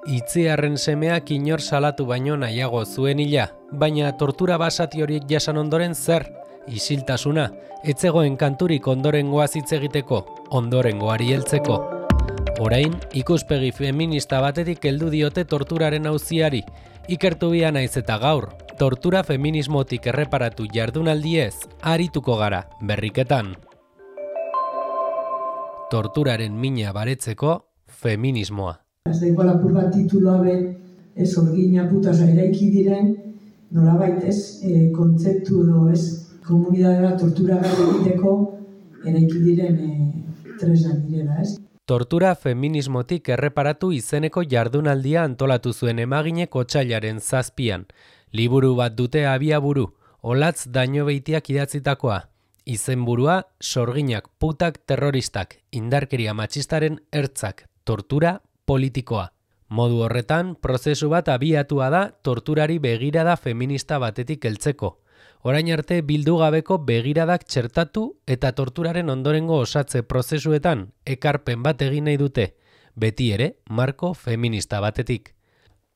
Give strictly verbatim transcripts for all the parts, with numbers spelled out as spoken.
Itziarren semeak inor salatu baino nahiago zuen hila, baina tortura basati horiek jasan ondoren zer? Isiltasuna, etzegoen kanturik ondorengoaz hitz egiteko, ondorengoari heltzeko. Orain, ikuspegi feminista batetik heldu diote torturaren auziari, ikertu bia naiz eta gaur, tortura feminismotik erreparatu jardunaldiez, arituko gara, berriketan. Torturaren mina baretzeko, feminismoa. Ez daiko lapur bat tituloa be, ez orgina putaz eraiki diren, nolabait ez, e, kontzeptu edo ez, komunidadera tortura gara egiteko eraiki diren e, tresnak direla, ez? Tortura feminismotik erreparatu izeneko jardunaldia antolatu zuen emaginek otsailaren zazpian. Liburu bat dute abiaburu, Olatz Dañobeitiak idatzitakoa. Izenburua, sorginak putak terroristak, indarkeria matxistaren ertzak, tortura politikoa. Modu horretan, prozesu bat abiatua da torturari begirada feminista batetik heltzeko. Orain arte bildu gabeko begiradak txertatu eta torturaren ondorengo osatze prozesuetan ekarpen bat egin nahi dute, beti ere marko feminista batetik.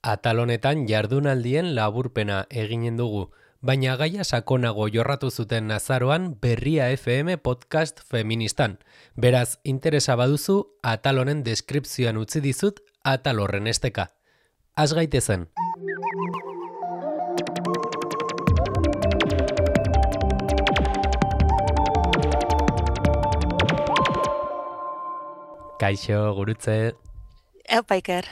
Atal honetan jardunaldien laburpena eginen dugu, baina gaia sakonago jorratu zuten azaroan Berria F M podcast feministan. Beraz, interesa baduzu, atal honen deskripzioan utzi dizut atal horren esteka. Az gaitezen. Kaixo, gurutze. Eupa, Iker.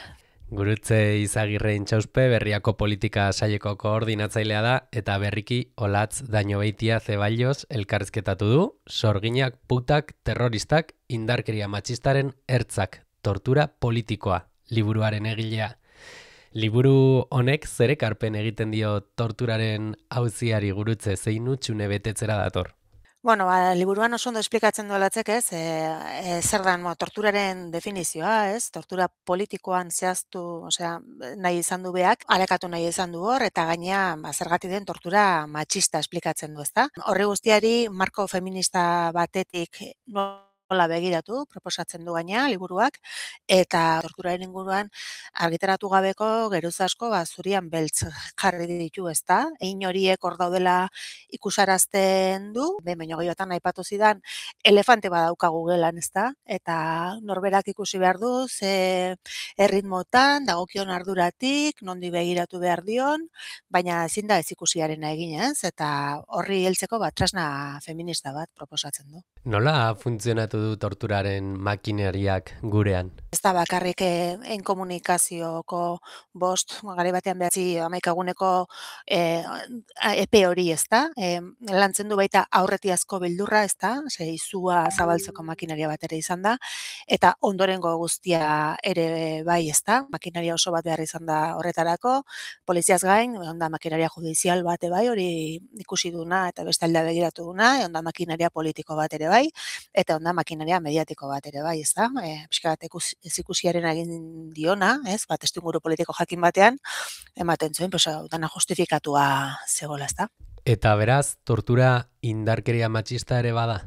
Gurutze Izagirre Intxauspe, Berriako politika saileko koordinatzailea da, eta berriki Olatz Dañobeitia Zeballos elkarrizketatu du, sorginak putak terroristak indarkeria matxistaren ertzak, tortura politikoa, liburuaren egilea. Liburu honek zer ekarpen egiten dio torturaren auziari, Gurutze, zein utxune betetzera dator? Bueno, ba, liburuan oso ondo esplikatzen duelatzek, ez, e, e, zer da, mo, torturaren definizioa, ez, tortura politikoan zehaztu, osea, nahi izan du beak, alekatu nahi izan du hor, eta gainea, ba, zergatik den tortura matxista esplikatzen du, ezta? Horri guztiari, marko feminista batetik nola begiratu, proposatzen du gaina, liburuak, eta torturaren inguruan argitaratu gabeko geruz asko, ba, zurian beltz jarri ditu, ezta? Egin horiek hor daudela ikusarazten du, behin baino gehiotan aipatu zidan, elefante badaukagu gelan, ezta? Eta norberak ikusi behar du, ze erritmotan, dagokion arduratik, nondi begiratu behar dion, baina ezin da ez ikusiarena egin, ez? Eta horri heltzeko bat tresna feminista bat proposatzen du. Nola funtzionatu du torturaren makineriak gurean? Ez da bakarrik en komunikazioko bost, gare batean behatzi amaikaguneko e, epe hori, ez da? E, lantzen du baita aurretiazko beldurra, ez da? Ze izua zabaltzeko makinaria bat ere izan da, eta ondorengo guztia ere bai, ez da? Makinaria oso bat behar izan da horretarako, poliziaz gain, onda makinaria judizial bate bai, hori ikusi duna eta beste aldea begiratu duna, onda makinaria politiko bat ere bai, eta onda makinaria mediatiko bat ere bai, ez da? E, Piska bat ez ikusiaren egin diona, ez? Bat testuinguru politiko jakin batean, ematen zuen, pues, dana justifikatua zegoela, ez da? Eta beraz, tortura indarkeria matxista ere bada?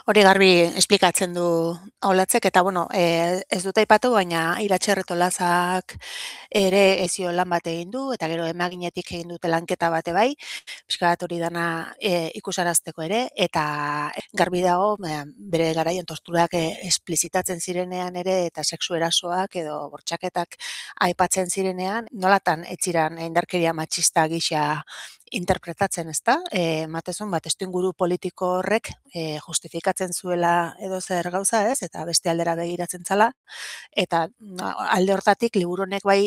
Hori garbi esplikatzen du Olatzek, eta bueno, e, ez dut aipatu, baina Iratxe Erretolazak ere ezio lan bat egin du, eta gero emaginetik egin dute lanketa bate bai, pixka bat hori dana e, ikusarazteko ere, eta garbi dago, e, bere garaian torturak e, esplizitatzen zirenean ere, eta sexu erasoak edo bortxaketak aipatzen zirenean, nolatan etziran indarkeria matxista gisa interpretatzen, ez da? E, matezun bat, testuinguru politiko horrek e, justifikatzen zuela edo zer gauza, ez? Eta beste aldera begiratzen zala. Eta alde hortatik, liburu honek bai,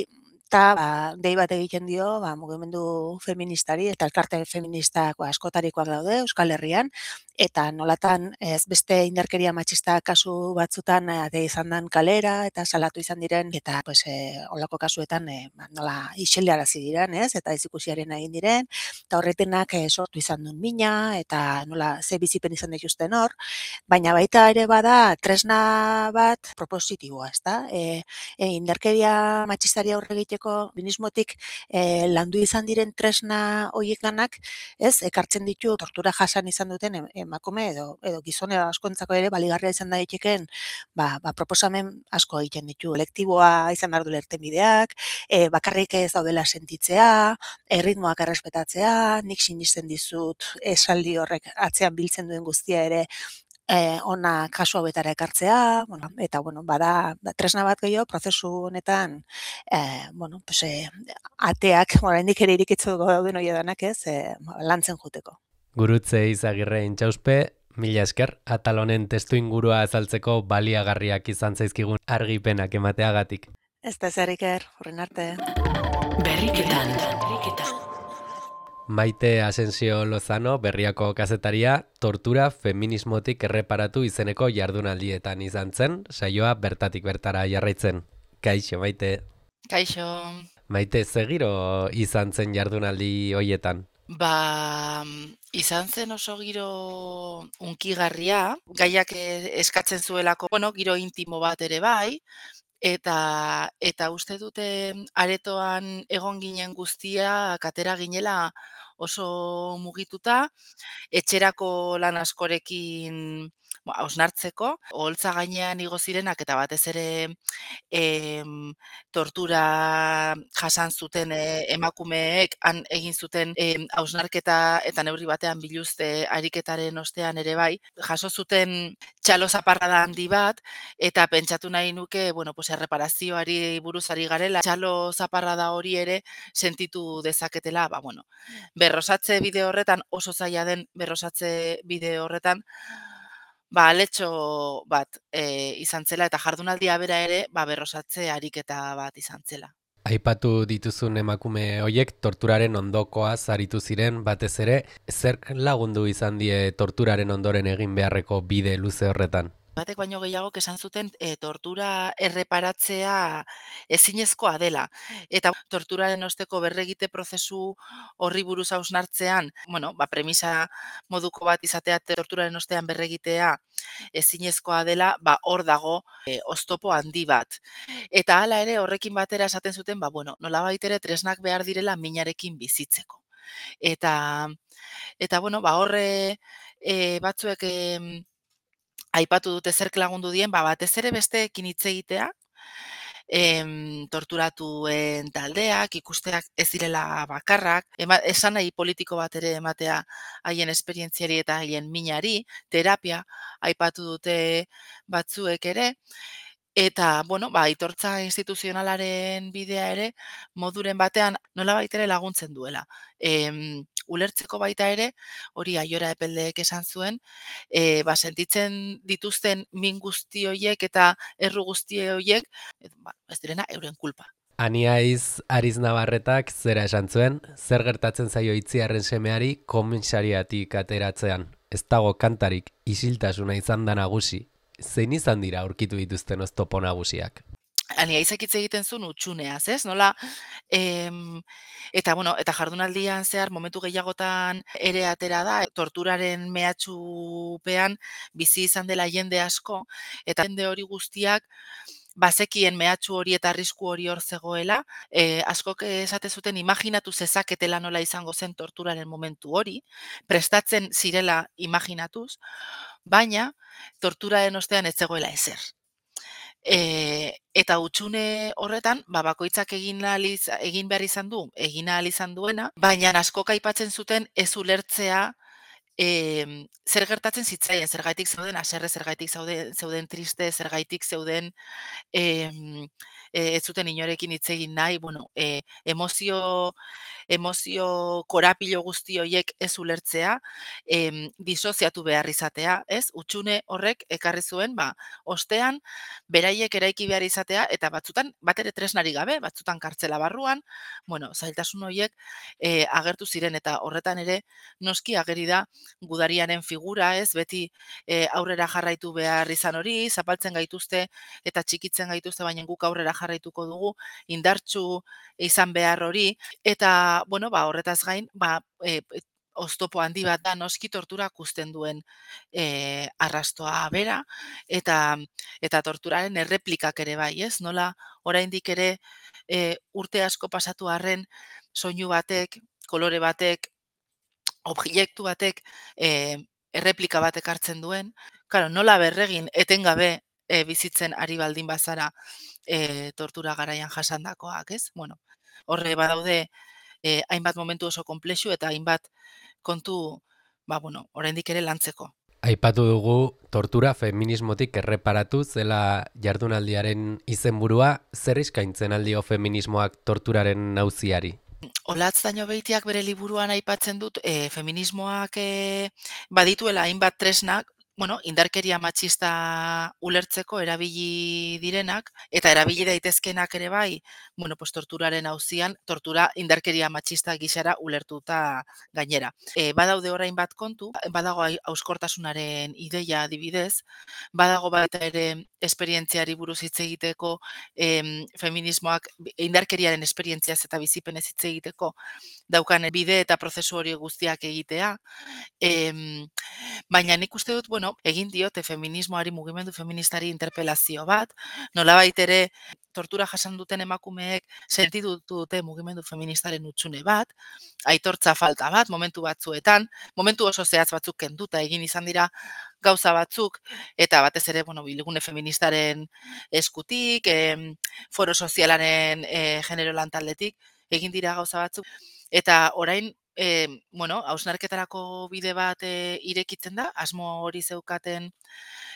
eta ba, dei bat egiten dio ba, mugimendu feministari, eta elkarte feministak ba, askotarikoak daude Euskal Herrian, eta nolatan ez beste indarkeria matxista kasu batzutan ade izan dan kalera, eta salatu izan diren, eta pues, e, olako kasuetan e, ba, nola isilarazi diren, ez? Eta ez ikusiaren egin diren, eta horretenak e, sortu izan duen mina, eta nola ze bizipen izan dituzten hor, baina baita ere bada tresna bat propositiboa, ez da? E, e, indarkeria matxistari aurre egiteko egiteko feminismotik e, landu izan diren tresna horiek lanak, ez, ekartzen ditu tortura jasan izan duten em- emakume edo edo gizone askontzako ere baligarria izan daitekeen ba, ba, proposamen asko egiten ditu. Kolektiboa izan behar du irtenbideak, e, bakarrik ez daudela sentitzea, erritmoak errespetatzea, nik sinisten dizut esaldi horrek atzean biltzen duen guztia ere eh, ona kasu hauetara ekartzea, bueno, eta bueno, bada ba, tresna bat gehiago prozesu honetan eh, bueno, pues, eh, ateak, oraindik ere irikitzeko dauden hoiedanak, ez, eh, lantzen joteko. Gurutze Izagirre intxauspe, mila esker, atal honen testu ingurua azaltzeko baliagarriak izan zaizkigun argipenak emateagatik. Ez da ezerik er, horren arte. Berriketan. Berriketan. Maite Asensio Lozano, Berriako kazetaria, tortura feminismotik erreparatu izeneko jardunaldietan izan zen, saioa bertatik bertara jarraitzen. Kaixo, Maite. Kaixo. Maite, zegiro izan zen jardunaldi hoietan? Ba, izan zen oso giro unkigarria, gaiak eh, eskatzen zuelako, bueno, giro intimo bat ere bai, eta eta uste dute aretoan egon ginen guztia katera ginela oso mugituta, etxerako lan askorekin ba, hausnartzeko, oholtza gainean igo zirenak eta batez ere em, tortura jasan zuten eh, emakumeek han egin zuten em, hausnarketa eta neurri batean biluzte ariketaren ostean ere bai, jaso zuten txalo zaparrada handi bat eta pentsatu nahi nuke, bueno, pues erreparazioari buruz ari garela, txalo zaparrada hori ere sentitu dezaketela, ba bueno, berrosatze bide horretan oso zaila den berrosatze bide horretan ba aletxo bat e, izan zela eta jardunaldia bera ere ba berrosatze ariketa bat izan zela. Aipatu dituzun emakume hoiek torturaren ondokoa zaritu ziren, batez ere, zerk lagundu izan die torturaren ondoren egin beharreko bide luze horretan? Batek baino gehiago esan zuten e, tortura erreparatzea ezinezkoa dela. Eta torturaren osteko berregite prozesu horri buruz hausnartzean, bueno, ba, premisa moduko bat izatea torturaren ostean berregitea ezinezkoa dela, ba, hor dago e, oztopo handi bat. Eta hala ere horrekin batera esaten zuten, ba, bueno, nolabait ere tresnak behar direla minarekin bizitzeko. Eta, eta bueno, ba, horre e, batzuek... E, aipatu dute zerk lagundu dien, ba, batez ere besteekin hitz egitea, em, torturatuen taldeak, ikusteak ez direla bakarrak, ema, esan nahi politiko bat ere ematea haien esperientziari eta haien minari, terapia aipatu dute batzuek ere, eta, bueno, ba, aitortza instituzionalaren bidea ere, moduren batean nolabait ere laguntzen duela. Em, ulertzeko baita ere, hori Aiora Epeldeek esan zuen, e, ba, sentitzen dituzten min guzti horiek eta erru guzti horiek, e, ba, ez direna euren kulpa. Aniaiz Ariz Navarretak zera esan zuen, zer gertatzen zaio Itziarren semeari komisariatik ateratzean. Ez dago kantarik, isiltasuna izan da nagusi. Zein izan dira aurkitu dituzten oztopo nagusiak? Aniaizek hitz egiten zuen utxuneaz, ez? Nola, em, eta bueno, eta jardunaldian zehar momentu gehiagotan ere atera da, torturaren mehatxupean bizi izan dela jende asko, eta jende hori guztiak bazekien mehatxu hori eta arrisku hori hor zegoela, e, askok esate zuten imaginatu zezaketela nola izango zen torturaren momentu hori, prestatzen zirela imaginatuz, baina torturaren ostean ez zegoela ezer. E, eta hutsune horretan, ba, bakoitzak egin, aliz, egin behar izan du, egin ahal izan duena, baina askok aipatzen zuten ez ulertzea e, zer gertatzen zitzaien, zergaitik zeuden haserre, zergaitik zeuden, zeuden triste, zergaitik zeuden e, e, ez zuten inorekin hitz egin nahi, bueno, e, emozio, emozio korapilo guzti horiek ez ulertzea, em, disoziatu behar izatea, ez? Hutsune horrek ekarri zuen, ba, ostean, beraiek eraiki behar izatea, eta batzutan, bat ere tresnari gabe, batzutan kartzela barruan, bueno, zailtasun horiek e, agertu ziren, eta horretan ere, noski ageri da gudariaren figura, ez? Beti e, aurrera jarraitu behar izan hori, zapaltzen gaituzte, eta txikitzen gaituzte, baina guk aurrera jarraituko dugu, indartsu izan behar hori, eta, bueno, ba, horretaz gain, ba, e, oztopo handi bat da noski torturak uzten duen e, arrastoa bera, eta eta torturaren erreplikak ere bai, ez? Nola oraindik ere e, urte asko pasatu arren soinu batek, kolore batek, objektu batek e, erreplika batek hartzen duen, claro, nola berregin etengabe e, bizitzen ari baldin bazara e, tortura garaian jasandakoak, ez? Bueno, horre badaude e, hainbat momentu oso konplexu eta hainbat kontu, ba, bueno, oraindik ere lantzeko. Aipatu dugu tortura feminismotik erreparatu zela jardunaldiaren izenburua, zer eskaintzen aldio feminismoak torturaren auziari? Olatz Dañobeitiak bere liburuan aipatzen dut e, feminismoak e, badituela hainbat tresnak, bueno, indarkeria matxista ulertzeko erabili direnak, eta erabili daitezkenak ere bai, bueno, pues torturaren auzian, tortura indarkeria matxista gisara ulertuta gainera. E, badaude orain bat kontu, badago hauskortasunaren ideia adibidez, badago baita ere esperientziari buruz hitz egiteko, em, feminismoak indarkeriaren esperientziaz eta bizipenez hitz egiteko daukan bide eta prozesu hori guztiak egitea, em, baina nik uste dut, bueno, egin diote feminismoari, mugimendu feministari interpelazio bat, nolabait ere tortura jasan duten emakumeek sentitu dute mugimendu feministaren hutsune bat, aitortza falta bat momentu batzuetan, momentu oso zehatz batzuk kenduta egin izan dira gauza batzuk, eta batez ere, bueno, bilgune feministaren eskutik, eh, foro sozialaren eh, genero lantaldetik, egin dira gauza batzuk, eta orain, E, bueno, hausnarketarako bide bat e, irekitzen da, asmo hori zeukaten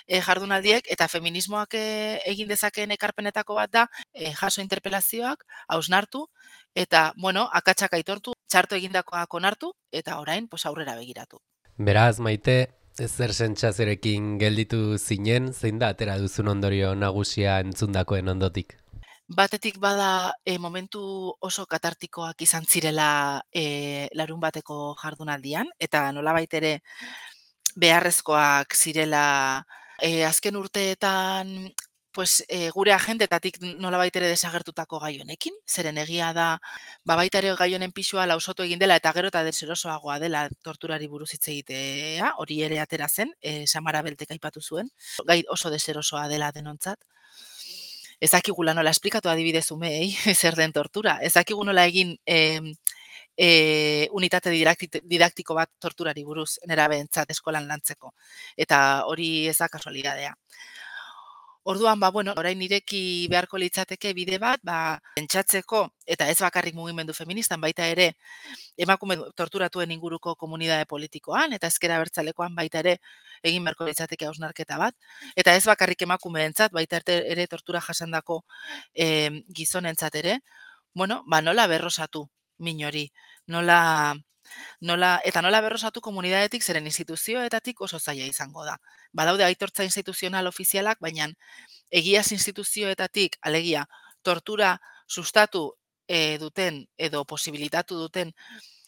e, jardunaldiek, eta feminismoak e, egin dezakeen ekarpenetako bat da, e, jaso interpelazioak, hausnartu, eta, bueno, akatsak aitortu, txarto egindakoak onartu, eta orain, pues, aurrera begiratu. Beraz, Maite, zer sentsazerekin gelditu zinen, zein da atera duzun ondorio nagusia entzundakoen ondotik? Batetik bada e, momentu oso katartikoak izan zirela e, larun bateko jardunaldian, eta nolabait ere beharrezkoak zirela e, azken urteetan pues, e, gure agentetatik nolabait ere desagertutako gai honekin, zeren egia da, ba baita ere gai honen pisua lausotu egin dela eta gero eta deserosoagoa dela torturari buruz hitz egitea, hori ere atera zen, e, Samara Beltek aipatu zuen, gai oso deserosoa dela denontzat. Ez dakigu nola esplikatu adibidez umeei zer den tortura. Ez dakigu nola egin e, e, unitate didaktiko bat torturari buruz nerabeentzat eskolan lantzeko. Eta hori ez da kasualidadea. Orduan, ba, bueno, orain ireki beharko litzateke bide bat, ba, pentsatzeko, eta ez bakarrik mugimendu feministan, baita ere, emakume torturatuen inguruko komunitate politikoan, eta ezker abertzalekoan baita ere, egin beharko litzateke hausnarketa bat, eta ez bakarrik emakumeentzat, baita ere tortura jasandako e, gizonentzat ere, bueno, ba, nola berrosatu min hori, nola... Nola, eta nola berrosatu komunitatetik zeren instituzioetatik oso zaila izango da. Badaude aitortza instituzional ofizialak, baina egiaz instituzioetatik, alegia, tortura sustatu e, duten edo posibilitatu duten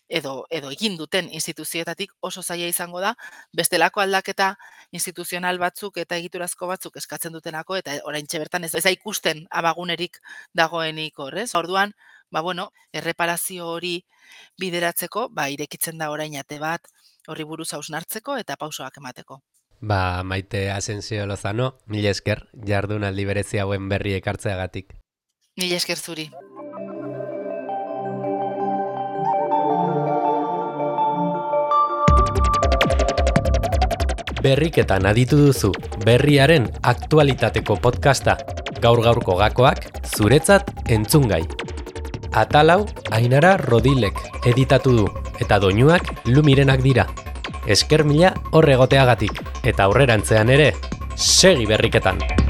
edo, edo egin duten instituzioetatik oso zaila izango da, bestelako aldaketa instituzional batzuk eta egiturazko batzuk eskatzen dutenako, eta oraintxe bertan ez da ikusten abagunerik dagoenik horrez. Orduan, ba bueno, erreparazio hori bideratzeko, ba irekitzen da orain ate bat horri buruz hausnartzeko eta pausoak emateko. Ba, Maite Asensio Lozano, mila esker jardunaldi berezi hauen berri ekartzeagatik. Mila esker zuri. Berriketan aditu duzu, berriaren aktualitateko podcasta, gaur-gaurko gakoak zuretzat entzungai. Atalau Ainara Rodilek editatu du, eta doinuak Lumirenak dira. Esker mila hor egoteagatik, eta aurrerantzean ere, segi berriketan!